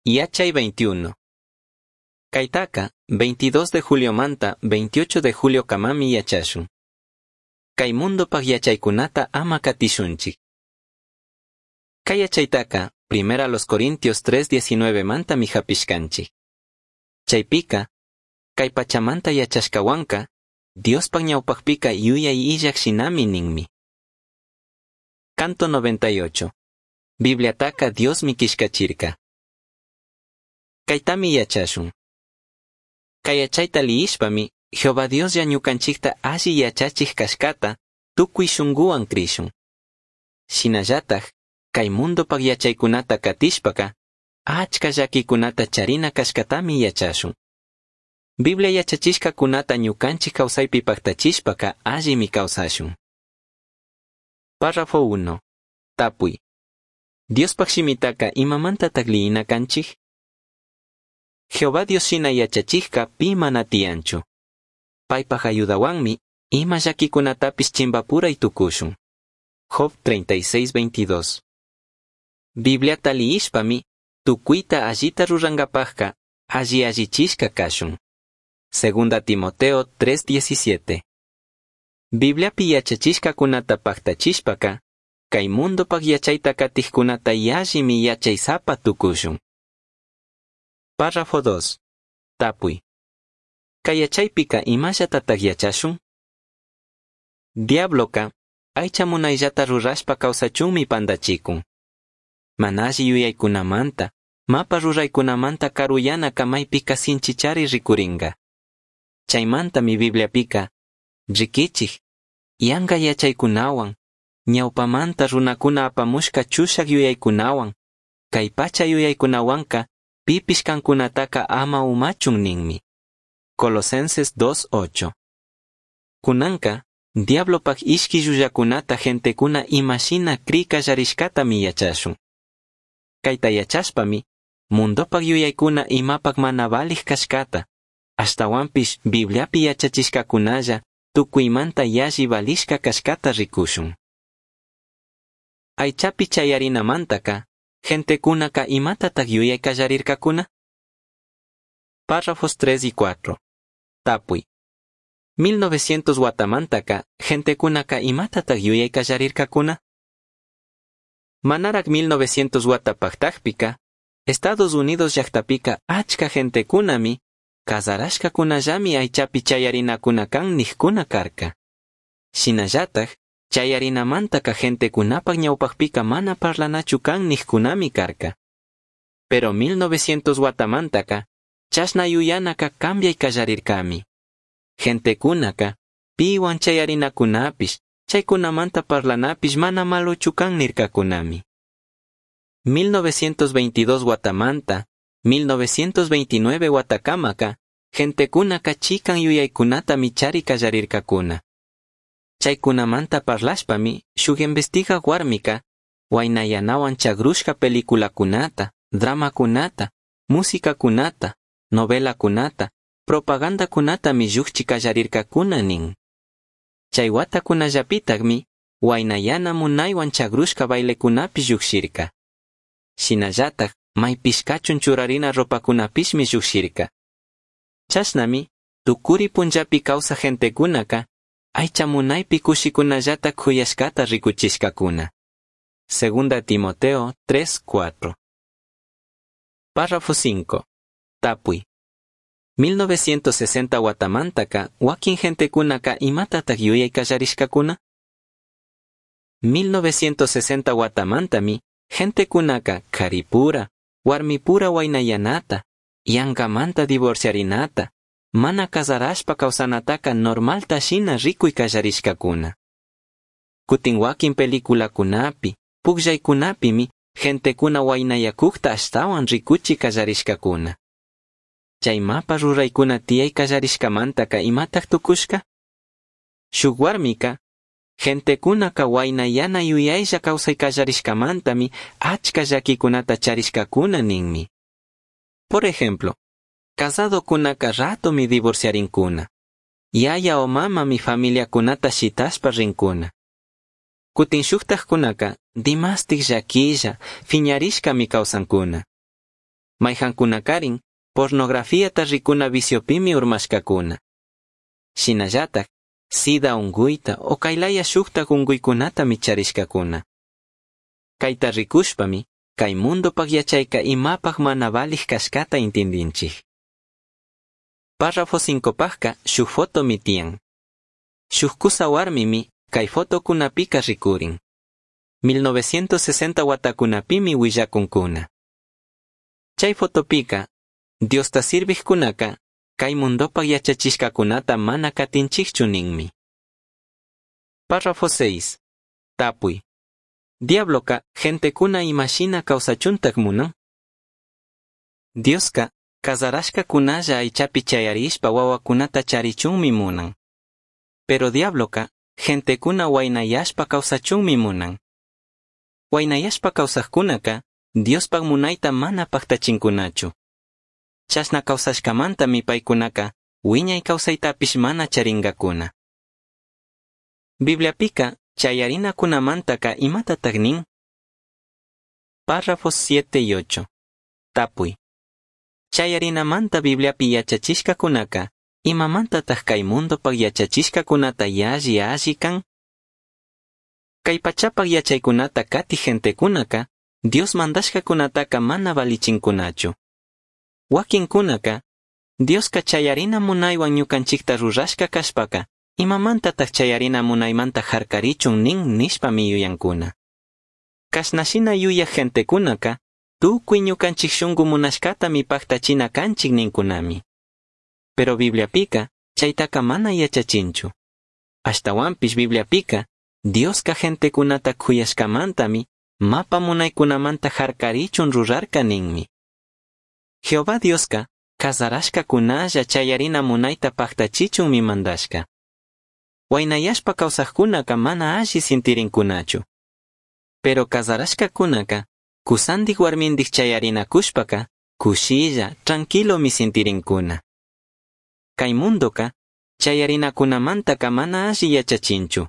Yachay 21. Caitaca, 22 de julio manta, 28 de julio kamami yachashun. Kay mundopaj yachaykunata ama katishunchik. Kay yachaytaka, primera los Corintios 3:19 manta hapishkanchik. Chaypika, kay pachamanta yachashkawanka, Diospaj ñawpajpika yuyay illaj shinami ninmi. Canto 98. Bibliataka Diosmi kishkachirka. Kaytami yachashun. Kay yachayta liyishpami, Jehová Dioslla ñukanchikta alli yachachik kashkata, tukuy shunguwan krishun. Shinallataj, kay mundopaj yachaykunata katishpaka, achka llakikunata charina kashkatami yachashun. Biblia yachachishkakunata ñukanchik kawsaypi paktachishpaka allimi kawsashun. Párrafo 1. Tapuy. Diospaj shimitaka imamantataj liyina kanchik? Jehová Dios shina yachachijka pi mana tiyanchu. Paypaj ayudawanmi ima llakikunatapish chimbapuray tukushun. Job 36:22. Bibliata liyishpami tukuyta allita rurankapajka alli allichishka kashun. Segunda Timoteo 3:17. Bibliapi yachachishkakunata paktachishpaka, kay mundopaj yachayta katijkunata yallimi yachaysapa tukushun. Párrafo 2. Tapuy. Kay yachaypika imallatataj yachashun? Diabloka, aycha munayllata rurashpa kawsachunmi pandachikun. Mana alli yuyaykunamanta, mapa ruraykunamanta karuyanaka maypika sinchichari rikurinka. Chaymantami Bibliapika, rikichik, yanka yachaykunawan, ñawpamanta runakuna apamushka chushak yuyaykunawan, kay pacha yuyaykunawanka pipish kankunataka ama umachun ninmi. Colosenses 2.8. Kunanka, diablopak ishki llullakunata gentekuna imashina cri kallarishkatami yachashun. Kayta yachashpami, mundopak yuyaykuna imapak mana valij kashkata, ashtawanpish Bibliapi yachachishkakunalla tukuymanta yalli valishka kashkata rikushun. Aychapi chayarinamantaka, gentekunaka imatatak yuyay kallarirkakuna? Párrafos 3 y 4. Tapuy. 1900 watamantaka, gentekunaka imatatak yuyay kallarirkakuna? Manarak 1900 wata paktakpika, Estados Unidos llaktapika achka gentekunami, kazarashkakunallami aychapi chayarinakuna kan nijkuna karka. Shinallataj, chayarinamantaka gentekunapak ñawpakpika mana parlanachu kan nijkunami karka. Pero 1900 watamantaka, chashna yuyanaka cambiay kallarirkami. Gentekunaka, piwan chayarinakunapish, chaykunamanta parlanapish mana malochu kan nirkakunami. 1922 watamanta, 1929 watakamaka, gentekunaka chikan yuyaykunatami chari kallarirkakuna. Chaykunamanta parlashpami, shuk investigak warmika, waynayanawan chagrushka peliculakunata, dramakunata, musikakunata, novelakunata, propagandakunatami llukchi kallarirkakuna nin. Chay watakunallapitakmi, waynayana munaywan chagrushka bailekunapish llukshirka. Shinallatak, maypishkachun churarina ropakunapishmi llukshirka. Chashnami, tukuri punllapi kawsak gentekunaka, aycha munaypi kushikunallata kuyashkata rikuchishkakuna. Segunda Timoteo 3:4. Párrafo 5. Tapuy. 1960 watamantaka, wakin gentekunaka imatatak yuyay kallarishkakuna? 1960 watamantami, gentekunaka karipura, warmipura waynayanata, yankamanta divorciarinata, mana kazarashpa kawsanataka normalta shina rikuy kallarishkakuna. Kutin wakin peliculakunapi, pukllaykunapimi, gentekuna waynayakukta ashtawan rikuchi kallarishkakuna. Chay mapa ruraykuna tiyay kallarishkamantaka imatak tukushka? Shuk warmika, gentekunaka waynayana yuyaylla kawsay kallarishkamantami achka llakikunata charishkakuna ninmi. Por ejemplo, casadokunaka ratomi divorciarinkuna. Yaya o mamami familiakunata shitashpa rinkuna. Kutin shuktajkunaka dimastik llaquilla, fiñarishkami kawsankuna. Maijancunacarin pornografiata ricuna viciopimi urmashcacuna. Shinallataj sida ungüita o cailaya shujtaj ungüicunatami charishcacuna. Caita ricushpami cai mundopaj yachaica imapaj mana valij cashcata intindinchij. Párrafo 5pajca shuj fotomi tiyan. Shuj cusa huarmimi cai fotocunapika ricurin. 1960 huatacunapimi huillacuncuna. Chai fotopika, Diosta sirvijcunaca, cai mundopaj yachachishcacunata mana catinchijchu ninmi. Párrafo 6. Tapui. Diabloca gentecuna imashina causachuntaj munan? Diosca cazarashcacunalla aichapi chayarishpa huahuacunata charichunmi munan. Pero diabloca gentecuna huainayashpa causachunmi munan. Huainayashpa causajcunaca Diospaj munaita mana pajtachincunachu. Chashna causashcamantami paicunaca huiñai causaitapish mana charingacuna. Bibliapica chayarinacunamantaca imatataj nin? Párrafos 7 y 8. Tapui. Chayarinamanta Bibliapi yachachishcacunaca imamantataj cai mundopaj yachachishcacunata yalli alli can? Cai pachapaj yachaicunata catij gentecunaca Dios mandashcacunataca mana valichincunachu. Wakincunaca Diosca chayarina munaihuan ñucanchicta rurashca cashpaca imamantataj chayarina munaimanta jarcarichun nin nishpami yuyancuna. Cashnashina yuyaj gentecunaca tucui ñucanchij shungu munashcatami pajtachina canchij nincunami. Pero Bibliapica chaitaca mana yachachinchu. Ashtahuanpish Bibliapica Diosca gentecunata cuyashcamantami mapa munaicunamanta jarcarichun rurarca ninmi. Jehová Diosca cazarashcacunalla chayarina munaita pajtachichunmi mandashca. Huainayashpa causajcunaca mana alli sintirincunachu. Pero cazarashcacunaca cusandij huarmindij chayarinacushpaca cushilla, tranquilomi sintirincuna. Cai mundoca chayarinacunamantaca mana alli yachachinchu.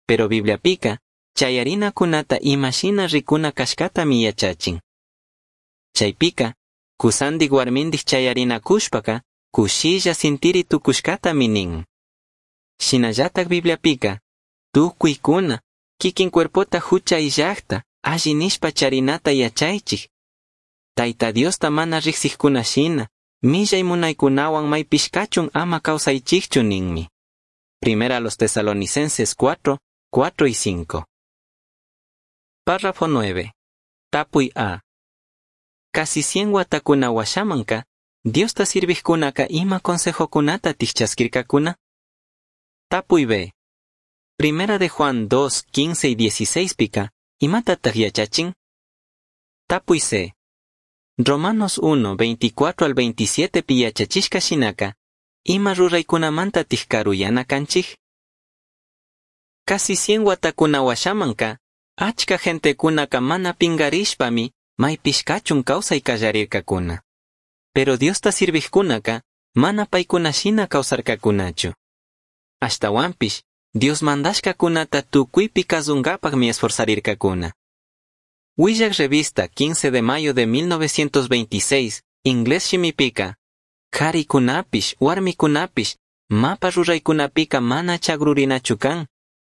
Pero Bibliapica chayarinacunata imashina ricuna cashcatami yachachin. Chaipica cusandij huarmindij chayarinacushpaca cushilla sintiri tucushcatami nin. Shinallataj Bibliapica tucuicuna kikin cuerpota jucha illajta alli nishpa charinata yachaichij. Taita Diosta mana rijsijcuna shina, millai munaicunahuan maipishcachun ama causaichijchu ninmi. Primera a los Tesalonicenses 4, 4 y 5. Párrafo 9. Tapui A. Casi 100 huatacuna huashamanca, Diosta sirvijcunaca ima consejocunata tijchasquircacuna? Tapui B. Primera de Juan 2, 15 y 16 pica, imatataj yachachin? Tapui C. Romanos 1, 24 al 27 pi yachachishka shinaka, ima ruraykunamanta tijkaruyana kanchij? Casi 100 watakuna washamanka, achka gentekunaka mana pingarishpami maypishkachun kawsay kallarirkakuna. Pero Diosta sirvijkunaka mana paykuna shina kawsarkakunachu. Ashtawanpish, Dios mandashkakunata tukuypi kasunkapaqmi esforzarirkakuna. Huillak revista 15 de mayo de 1926, inglés shimipika, Karikunapish, warmikunapish, mapa ruraykunapika mana chagrurinachu kan,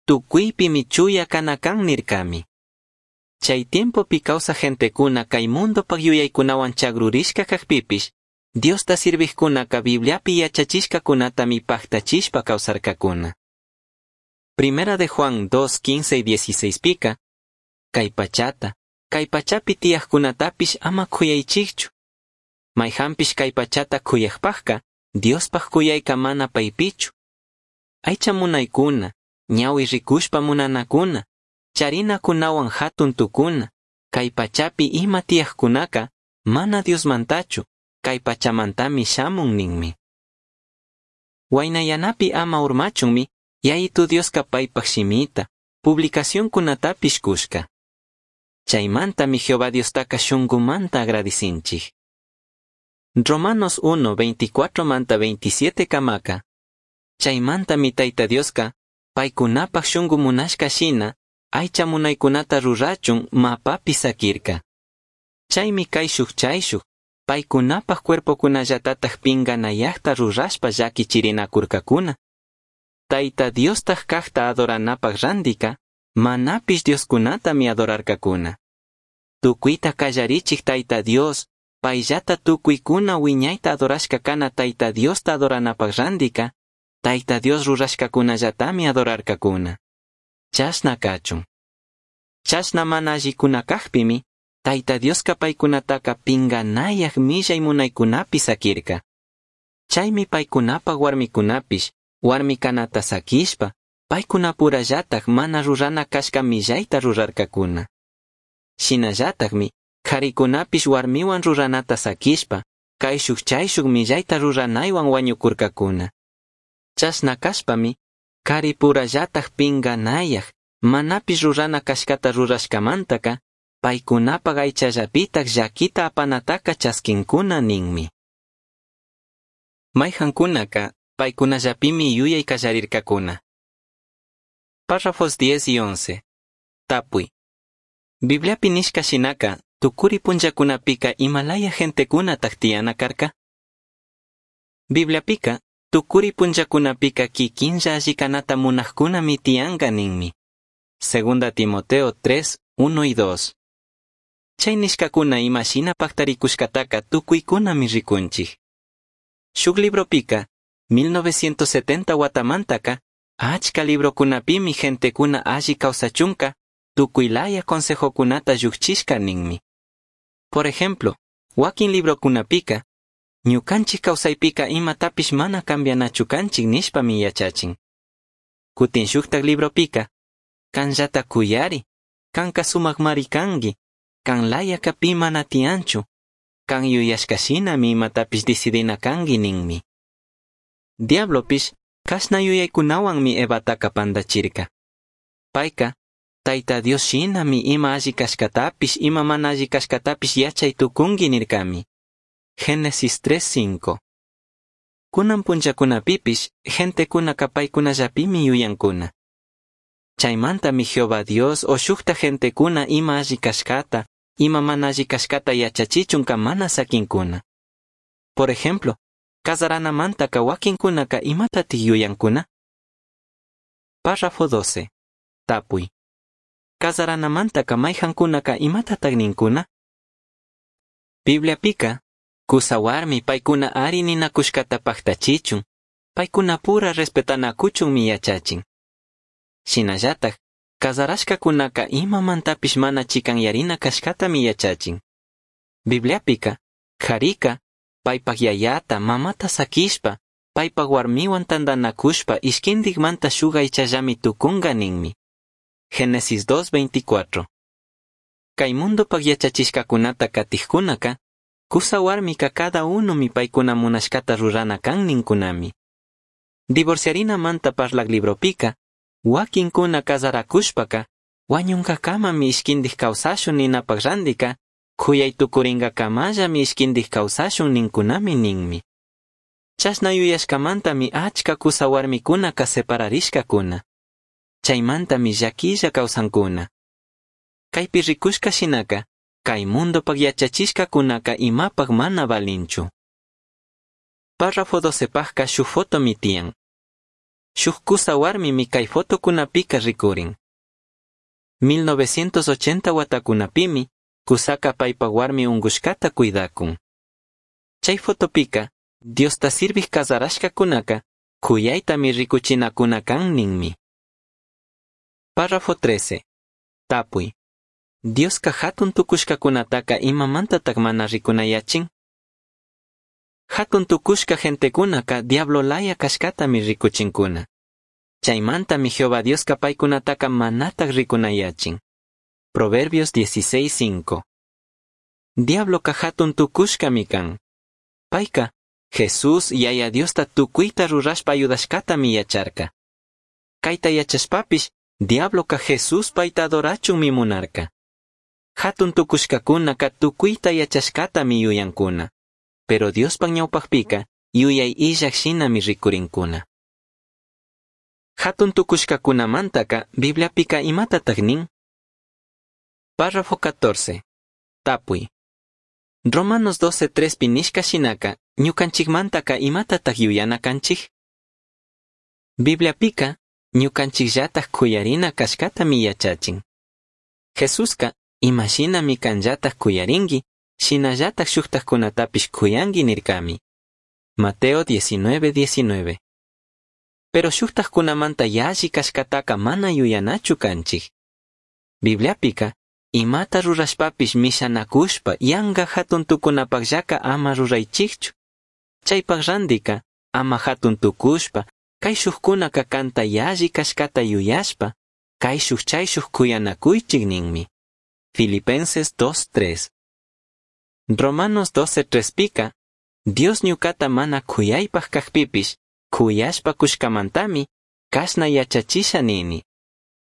tukuypimi chuya kana kan nirkami. Chay tiempopi kawsaj gentekuna kay mundopaq yuyaykunawan chagrurishka kajpipish, Diosta sirvijkunaka Bibliapi yachachishkakunatami pajtachishpa kawsarkakuna. Primera de Juan 2, 15 y 16 pika, kay pachata, kay pachapi tiyajkunatapish ama kuyaychikchu. Mayjanpish kay pachata kuyajpajka, Diospaj kuyayka mana paypichu. Aycha munaykuna, ñawi rikushpa munanakuna, charinakunawan hatun tukuna, kay pachapi ima tiyajkunaka, mana Diosmantachu, kay pachamantami shamun ninmi. Waynayanapi ama urmachunmi, Yayitu Dioska paypaj shimita, publicacionkunatapish kushka. Chaymantami Jehová Diostaka shunkumanta agradicinchik. Romanos 1, 24 manta 27 kamaka. Chaymantami Tayta Dioska, paykunapaj shunku munashka shina, aycha munaykunata rurachun mapapi sakirka. Chaymi kayshuk chayshuk, paicunapaj cuerpocunallatataj pinganayajta rurashpa llaquichirinacurcacuna. Taita Diostaj cajta adoranapaj randica, manapish dioscunatami adorarcacuna. Tucuita callarichij Taita Dios, paillata tucuicuna huiñaita adorashca cana Taita Diosta adoranapaj randica, Taita Dios rurashcacunallatami adorarcacuna. Chashna cachun. Chashna mana allicuna cajpimi, Taita Diosca paicunataca pinganayaj millai munaicunapi saquirca. Chaimi paicunapaj huarmicunapish, huarmi canata saquishpa, paicunapurallataj mana rurana cashca millaita rurarcacuna. Shinallatajmi, jaricunapish huarmihuan ruranata saquishpa, caishuj chaishuj millaita ruranaihuan huañucurcacuna. Chashna cashpami, caripurallataj pinganayaj, manapish rurana cashcata rurashcamantaca, paicunapaj aichallapitaj llaquita apanataca chasquincuna ninmi. Maijancunaca, paicunallapimi yuyai callarircacuna. Párrafos 10 y 11. Tapui. Bibliapi nishca shinaka, tucuri punllacunapika imalaya gentecunataj tiyana carca? Bibliapika, tucuri punllacunapika kikinlla alli canata munajcunami tiyanka ninmi. Segunda Timoteo 3, 1 y 2. Chay nishcacuna ima shina pactaricushcataca tucuicunami ricunchij. Shuk libropika, 1970 watamantaka, achka librocunapimi gentecuna alli kawsachunka, tukuylaya consejocunata llujchishka ninmi. Por ejemplo, wakin librocunapika, ñukanchik kawsaypika imatapish mana cambianachu kanchik nishpami yachachin. Kutin shuktak libropika, kanllata kuyari, kanka sumakmari kanki, kan layaka pi mana tiyanchu, kan yuyashka shinami imatapish decidina kanki ninmi. Diablopish kashna yuyaykunawanmi Evataka pandachirka. Payka, Taita Dios shinami ima alli kashkatapish ima mana alli kashkatapish yachay tukunki nirkami. Génesis 3:5. Kunan punllakunapipish gentekunaka paykunallapimi yuyankuna. Chaymantami Jehová Dios o shukta gentekuna ima alli kashkata, ima mana alli kashkata yachachichunka mana sakinkuna. Por ejemplo, kazaranamantaka wakinkunaka imatatik yuyankuna? Párrafo 12. Tapuy. Kazaranamantaka mayjankunaka imatatak ninkuna? Bibliapika, kusa warmi paykuna ari ninakushkata paktachichun, paykunapura respetanakuchunmi yachachin. Shinallatak, kazarashkakunaka imamantapish mana chikanyarina kashkatami yachachin. Bibliapika, karika, paypak yayata, mamata sakishpa, paypak warmiwan tantanakushpa ishkintikmanta shuk aychallami tukunka ninmi. Génesis 2:24. Kay mundopak yachachishkakunata katijkunaka, kusa warmika cada unomi paykuna munashkata rurana kan ninkunami. Divorciarinamanta parlak libropika, wakinkuna kazarakushpaka, wañunkakamami ishkintik kawsashun ninapak randika, kuyay tukurinkakamallami ishkintik kawsashun ninkunami ninmi. Chashna yuyashkamantami achka kusa warmikunaka separarishkakuna. Chaymantami llaquilla kawsankuna. Kaypi rikushka shinaka, kay mundopak yachachishkakunaka imapak mana valinchu. Párrafo 12 pajka shuk fotomi tiyan. Shuk kusa warmimi kay fotokunapika rikurin. 1980 watakunapimi, kusaka paypak warmi unkushkata cuidakun. Chay fotopika, Diosta sirvij kazarashkakunaka, kuyaytami rikuchinakuna kan ninmi. Párrafo 13. Tapuy. Dioska hatun tukushkakunataka imamantatak mana rikunayachin? Hatun tukushka gentekunaka diablo laya kashkatami rikuchinkuna. Chaymantami Jehová Dioska paykunataka manatak rikunayachin. Proverbios 16:5. Diabloka hatun tukushkami kan. Payka, Jesús yaya Diosta tukuyta rurashpa ayudashkatami yacharka. Kayta yachashpapish, diabloka Jesús payta adorachunmi munarka. Hatun tukushkakunaka tukuyta yachashkatami yuyankuna. Pero Diospak ñawpakpika, yuyay illak shinami rikurinkuna. Hatun tukushkakunamantaka, Bibliapika imatatak nin? Párrafo 14. Tapuy. Romanos 12:3pi nishca shinaca, ñucanchijmantaca imatataj yuyana canchij? Bibliapica, ñucanchijllataj c'uyarina cashcatami yachachin. Jesusca, ima shinami canllataj c'uyaringui, shinallataj shujtajcunatapish c'uyangui nircami. Mateo 19:19. Pero shujtajcunamanta yalli cashcataca mana yuyanachu canchij. Bibliapica, imata rurashpapish mishanacushpa yanga jatun tucunapajllaca ama ruraichijchu. Chaipaj randica, ama jatun tucushpa, caishujcunaca canta yalli cashcata yuyashpa, caishuj chaishuj cuyanacuichij ninmi. Filipenses 2:3. Romanos 12:3pica, Dios ñucata mana c'uyaipaj cajpipish, c'uyashpa cushcamantami, cashna yachachisha nini.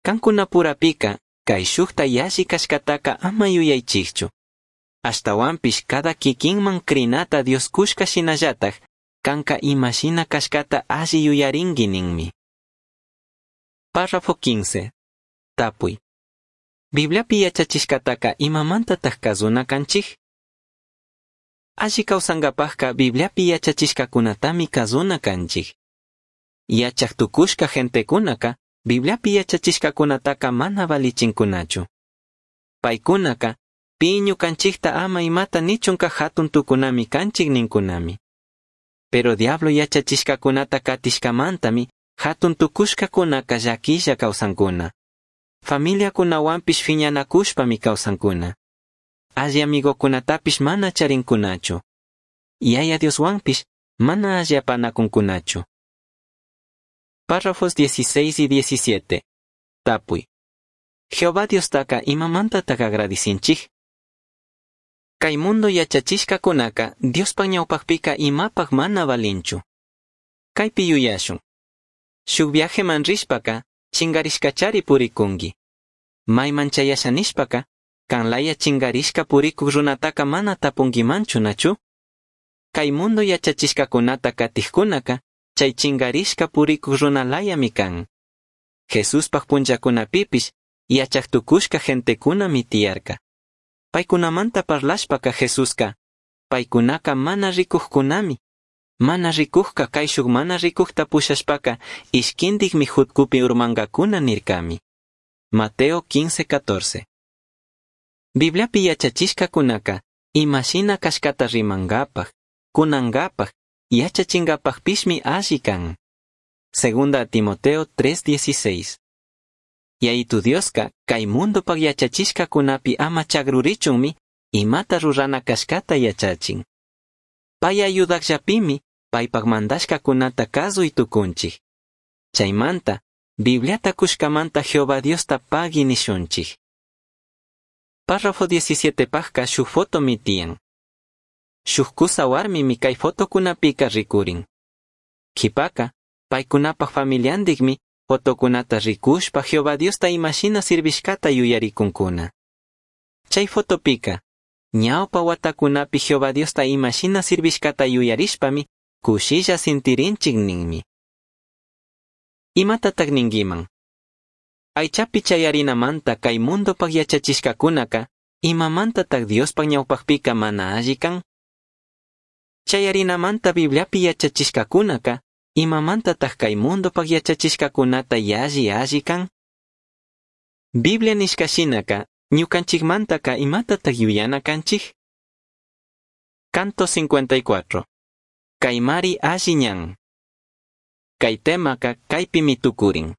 Cancunapurapica, caishujta yalli cashcataca ama yuyaichijchu. Ashtahuanpish cada kikinman crinata Dios cushca shinallataj, canca ima shina cashcata alli yuyaringui ninmi. Párrafo 15. Tapui. Bibliapi yachachishcataca imamantataj kazuna canchij? Alli kawsankapajka Bibliapi yachachishkakunatami kazuna kanchik. Yachaj tukushka gentekunaka Bibliapi yachachishkakunataka mana valichinkunachu. Paykunaka pi ñukanchikta ama imata nichunka hatun tukunami kanchik ninkunami. Pero diablo yachachishkakunata katishkamantami hatun tukushkakunaka llaquilla kawsankuna. Familiakunawanpish fiñanakushpami kawsankuna. Alli amigokunatapish mana charinkunachu. Yaya Dioswanpish mana alli apanakunkunachu. Párrafos 16 y 17. Tapuy. Jehová Diostaka imamantataj agradicinchij? Kay mundo yachachishkakunaka Diospaj ñawpajpika imapaj mana valinchu. Kaypi yuyashun. Shuk viajeman rishpaka chingarishkachari purikungui. Mayman chayasha nishpaka, kan laya chingarishka purikuk runataka mana tapunguimanchu nachu? Kay mundo yachachishkakunata katijkunaka, chay chingarishka purikuk runalayami kan. Jesuspaj punllakunapipish, yachaj tukushka gentekunami tiyarka. Paykunamanta parlashpaka Jesuska, paykunaka mana rikujkunami. Mana rikujka kayshuk mana rikujta pushashpaka ishkintikmi jutkupi urmankakuna nirkami. Mateo 15:14. Bibliapi yachachishkakunaka imashina kashkata rimankapaj, kunankapaj, yachachinkapajpishmi alli kan. Segunda Timoteo 3:16. Yayitu Dioska kay mundopaj yachachishkakunapi ama chagrurichunmi imata rurana kashkata yachachin. Pay ayudakllapimi paypaj mandashkakunata kazuy tukunchik. Chaymanta, Bibliata kushkamanta Jehová Diosta pagui nishunchik. Párrafo 17 pajka shuk fotomi tiyan. Shuk kusa warmimi kay fotokunapika rikurin. Kipaka, paykunapaj familiandikmi fotokunata rikushpa Jehová Diosta imashina sirvishkata yuyarikunkuna. Chay fotopika, ñawpa watakunapi Jehová Diosta imashina sirvishkata yuyarishpami kushilla sintirinchik ninmi. Imatataq ninkiman? Aychapi chayarinamanta kay mundopaj yachachishkakunaka imamantataq Diospaj ñawpajpika mana alli kan? Chayarinamanta Bibliapi yachachishkakunaka imamantataq kay mundopaj yachachishkakunata yalli alli kan? Biblia nishka shinaka ñukanchikmantaka imatataq yuyana kanchik? Canto 54. Kaymari alli ñan. Kay temaka kaypimi tukurin.